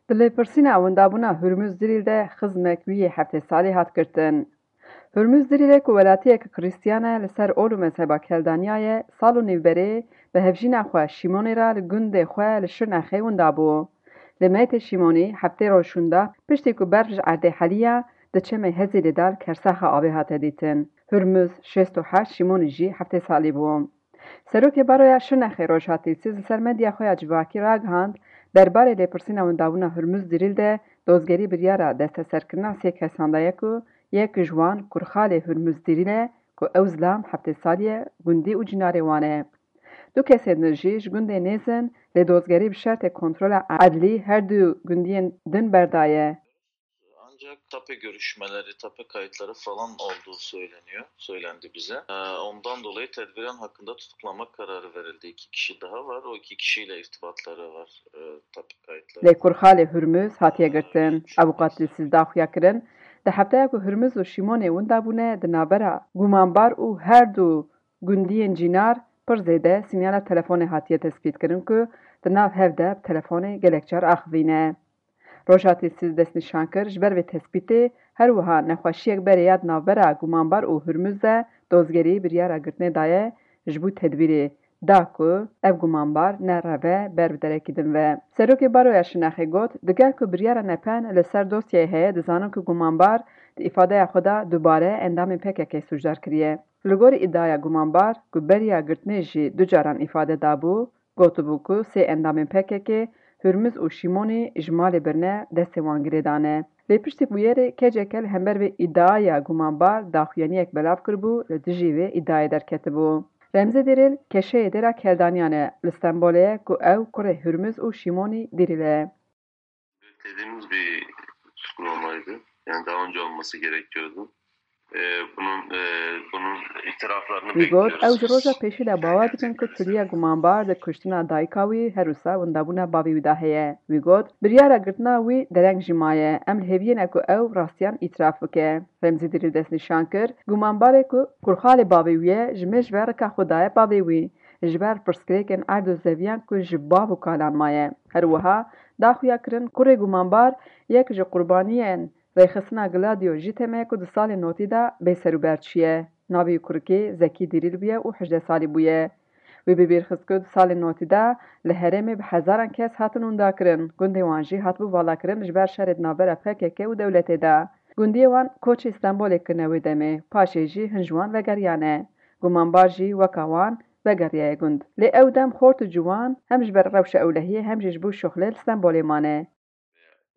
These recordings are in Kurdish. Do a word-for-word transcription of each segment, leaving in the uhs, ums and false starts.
Di lêpirsîna windabûna Hurmuz Dirîl de xizmek wî yê heftê salî hat girtin. Hurmuz Dirîlê ku welatiyeke Krîstiyan e, li ser ol û mezheba Keldaniya ye, sal û nîv berê bi hevjîna xwe Şîmonê re li gundê xwe li Şirnexê winda bû. Li meytê Şîmonî heftê roj şûnda, piştî ku berf ji erdê heliya, di çemê Hezîlê de li kersaxa avê hate dîtin. Hurmuz şêst û heşt, Şîmonî jî heftê salî bû. Serokê Baroya Şirnexê Rojhat Dilsiz li ser medya xwe ya civakî ragihand, derbarê lêpirsîna windabûna Hurmuz Dirîl de dozgerî biryara desteserkirina sê kesan daye ku yek ji wan kurxalê Hurmuz Dirîl e ku ew zilam heftê salî ye, gundî û cînarê wan e. Du kesên din jî ji gundê nêz in, lê dozgerî bi şertê kontrola edlî her du gundiyên din berdaye. Ancak tape görüşmeleri, tape kayıtları falan olduğu söyleniyor, söylendi bize. Ee, ondan dolayı tedbiren hakkında tutuklama kararı verildi. İki kişi daha var. O iki kişiyle irtibatları var, e, tape kayıtları. Lê kurxalê Hurmuz hatiye girtin. Avûkat Dilsiz daxuya kirin, di hefteya ku Hurmuz û Şîmonê winda bûne, di navbera gumanbar û her du gundiyên cînar pir zêde sînyala telefonê hatiye tespîtkirin ku di nav hev de bi telefonê gelek car axivîne. Rojhat Dilsiz destnîşan kir, ji ber vê tespîtê her wiha nexweşiyek berê ya di navbera gumanbar û Hurmuz de dozgerî biryara girtinê daye ji bo tedbîrê, da ku ev gumanbar ne reve ber bi derekî din ve. Serokê Baroya Şirnexê got, digel ku biryara nepen li ser dosyayê heye, dizanin ku gumanbar di îfadeya xwe de dubare endamên P K K sûcdar kiriye. Li gorî îdiaya gumanbar ku beriya girtinê jî du caran îfade dabû, gotibû ku sê endamên P K K, Hurmuz û Şîmonî ji malê birine destê wan girê dane. Lê piştî bûyerê K C K li hember vê îdiaya gumanbar daxuyaniyek belav kiribû, li dijî vê îdiayê derketibû. Remzî Dîrîl keşeyê dêra Keldaniyan e, li Stenbolê ye ku ew kurê Hurmuz û Şîmonî Dîrîl e. Beklediğimiz bir tutuklamaydı. Yani daha önce olması gerekiyordu. Ee, bunun e, bunun itiraflarını Wî got, ew ji roja pêşî de bawer dikin ku çûliya gumanbar di kuştina dayika wî her wisa windabûna bavê wî de heye. Wî got, biryara girtina wî dereng jî maye. Em li hêviyê ne ku ew rastiyan îtiraf bike. Remzî Dîrî destnîşan kir, gumanbarê ku kurxalê bavê wî ye, ji me ji ber rika xwe daye bavê wî. Ji ber pirsgirêkên erd û zeviyan ku ji bav û kalan maye. Her wiha daxuya kirin, kurê gumanbar yek ji qurbaniyên rêxistina Gladio jî teme ku di salên notî de bê serûber çûye. Navê wî kurikê Zekî Dîrîl bûye û hejdeh salî bûye. Wî bi bîr xist ku di salên notî de li herêmê bi hezaran kes hatin windakirin. Gundê wan jî hatibû valakirin ji ber şerê di navbera P K K û dewletê de. Gundiyê wan koçê Stenbolê kirine wê demê. Paşê jî hin ji wan vegeriyane. Gumanbar jî weka wan vegeriyaye gund. Lê ew dem xort û ciwan hem ji ber rewşa ewlehiyê hem jî ji bo şuxlê li Stenbolê mane.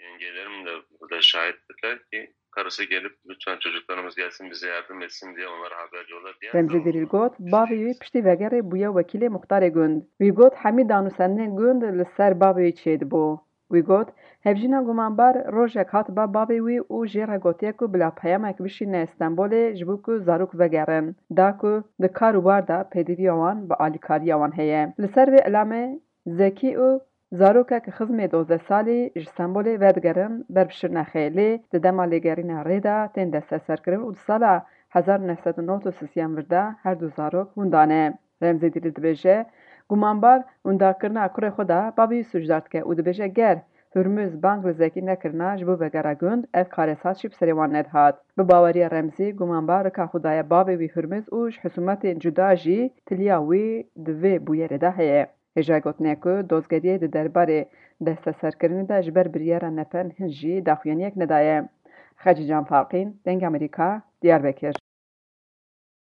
Yengelerim de burada şahittirler ki karısı gelip lütfen çocuklarımız gelsin bize yardım etsin diye onlara haber yolladı. Yani Remzî Dîrîl got, bavê wî piştî vegerê bûye wekîlê muxtarê gund. Wî got, hemî danûsendinên gund li ser bavê wî çêdibû. Wî got, hevjîna gumanbar rojek hatiba bavê wî û jê re gotiye ku bila peyamek bişîne Stenbolê ji bo ku zarok vegerin. Da ku di kar û bar de pêdiviya wan bi alîkariya wan heye. Li ser vê ilamê Zekî û zarokek xizmê dozdeh salî ji Stenbolê vedigerin ber bi Şirnexê, lê di dema lêgerîna rê de tên desteserkirin û di sala hezar û neh sed û nod û sisiyan vir de her du zarok winda ne. Remzî Dîlî dibêje, gumanbar windakirina kurê xwe de bavê wî sûcdar dike û dibêje, ger Hurmuz bang li Zekî nekirina ji bo vegera gund, ev karesat jî bi serê wan nedihat. Bi baweriya Remzî, gumanbar rika xwe daye bavê wî Hurmuz û ji husûmetên cuda jî tiliya wî di vê bûyerê de heye. Hêjayê gotinê ye ku dozgeriyê di derbarê desteserkirinê de ji ber biryara nepen hin jî daxuyaniyek nedaye. Xecîcan Farqîn, Dengê Amerîka, Diyarbekir.